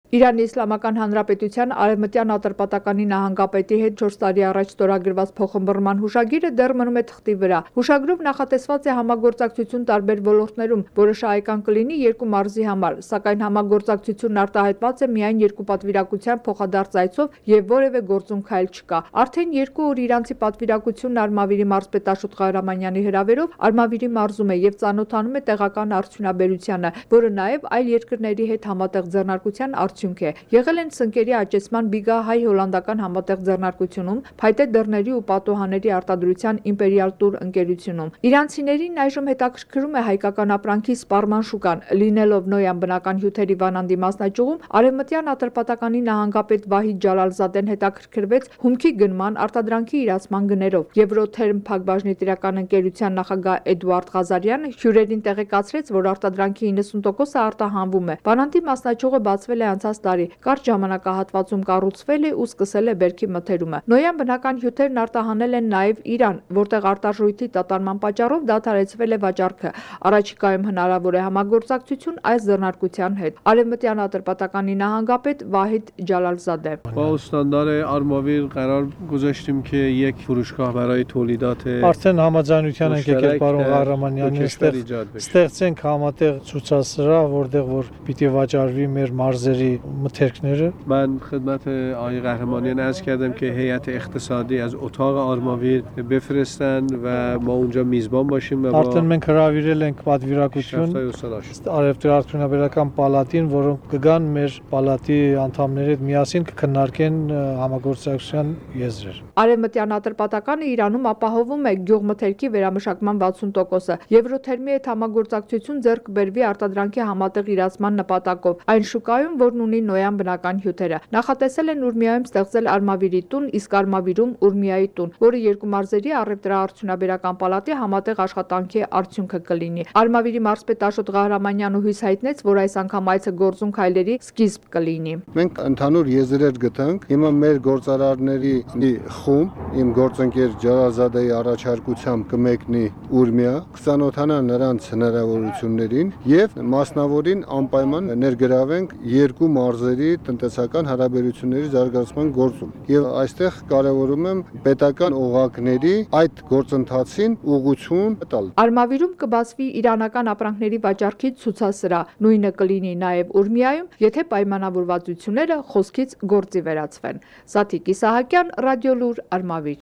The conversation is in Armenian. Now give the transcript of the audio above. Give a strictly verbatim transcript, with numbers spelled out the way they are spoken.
Իրանի Իսլամական Հանրապետության Արևմտյան Ատրպատականի նահանգապետի հետ չորս տարի առաջ ստորագրված փոխըմբռնման հուշագիրը դեռ մնում է թղթի վրա։ Հուշագրով նախատեսված է համագործակցություն տարբեր ոլորտներում, որը շահեկան կլինի երկու մարզի համար, սակայն համագործակցությունն արտահայտված է միայն երկու պատվիրակության փոխադարձ այցով եւ որևէ գործուն քայլ չկա։ Արդեն երկու օր իրանցի պատվիրակությունն Արմավիրի մարզպետ Աշոտ Ղահրամանյանի հրավերով Արմավիրի մարզում է եւ ծանոթանում է տեղական արդյունաբերությանը, որը նաեւ այլ երկրների հետ համատեղ ձեռնարկության արդյունք է։ Եղել են սնկերի աճեցման բիգա հայ-հոլանդական համատեղ ձեռնարկությունում, փայտե դռների ու պատուհանների արտադրության իմպերիալ տուր ընկերությունում։ Իրանցիներին այժմ հետաքրքրում է հայկական ապրանքի սպառման շուկան, լինելով Նոյան բնական հյութերի վանանդի մասնաճյուղում Արևմտյան Ատրպատականի նահանգապետ Վահիդ Ջալալզադեն հետաքրքրվեց հումքի գնման արտադրանքի իրացման գներով։ Եվրոթերմ փակbaşնի տիրական ընկերության նախագահ Էդուարդ Ղազարյանը հյուրերին տեղեկացրեց, որ արտադրանքի իննսուն տոկոսը արտահանվում է։ Վանանդի մասնաճյուղը բացվել է անցած տարի, կարճ ժամանակահատվածում կառուցվել է ու սկսել է բերքի մթերումը։ Նոյան բնական հյութերն արտահանել են նաև Իրան, որտեղ արտարժույթի տատանման պատճառով դադարեցվել է վաճառքը։ Առաջիկայում հնարավոր է համագործակցություն այս ձեռնարկության հետ։ Արևմտյան Ատրպատականի նահանգապետ Վահիդ Ջալալզադե. با استاندار Արմավիր قرار گذاشتیم که یک فروشگاه برای تولیدات Արդեն համաձայնության ենք եկել պարոն Ղահրամանյանի այստեղ ստեղծենք համատեղ ցուցասրահ, որտեղ որ պիտի վաճառվի մեր մարզերի մթերքները. من خدمت آقای قهرمانیان عرض کردم که هیئت اقتصادی از اتاق آرماویر بفرستن و ما اونجا میزبان باشیم و Արդեն մենք հրավիրել ենք պատվիրակություն Արևտուրարդյունաբերական պալատին, որոնք կգան մեր պալատի անդամների հետ միասին կքննարկեն համագործակցության եզրեր։ Արևմտյան Ատրպատականը Իրանում ապահովում է գյուղմթերքի վերամշակման վաթսուն տոկոսը։ Եվրոթերմի հետ համագործակցություն ձեռք բերվի արտադրանքի համատեղ իրացման նպատակով։ Այն շուկայում, որն ունի Նոյան բնական հյութերը, նախատեսել են Ուրմիայում ստեղծել Արմավիրի տուն, իսկ Արմավիրում Ուրմիայի տուն, որը երկու մարզերի առևտրաարդյունաբերական պալատի համատեղ աշխատանքի արդյունքը կլինի։ Արմավիրի մարզպետ Աշոտ Ղահրամանյանը հույս հայտնեց, որ այս անգամ այցը գործուն քայլերի սկիզբ կլինի։ Մենք ընդհանուր եզրեր գտանք, հիմա մեր գործարարների խումբ, իմ գործընկեր Ջալալզադեի առաջարկությամբ կմեկնի Ուրմիա, կծանոթանա նրանց հնարավորություններին եւ մասնավորին անպայման ներգրավենք երկու մարզերի տնտեսական հարաբերությունների զարգացման գործում։ Եվ այստեղ կարևորում եմ պետական օղակների այդ գործընթացին ուղղություն տալ։ Արմավիրում կբացվի իրանական ապրանքների վաճառքի ցուցասրահ, նույնը կլինի նաև Ուրմիայում, եթե պայմանավորվածությունները խոսքից գործի վերածվեն։ Սաթիկ Իսահակյան, Ռադիոլուր, Արմավիր։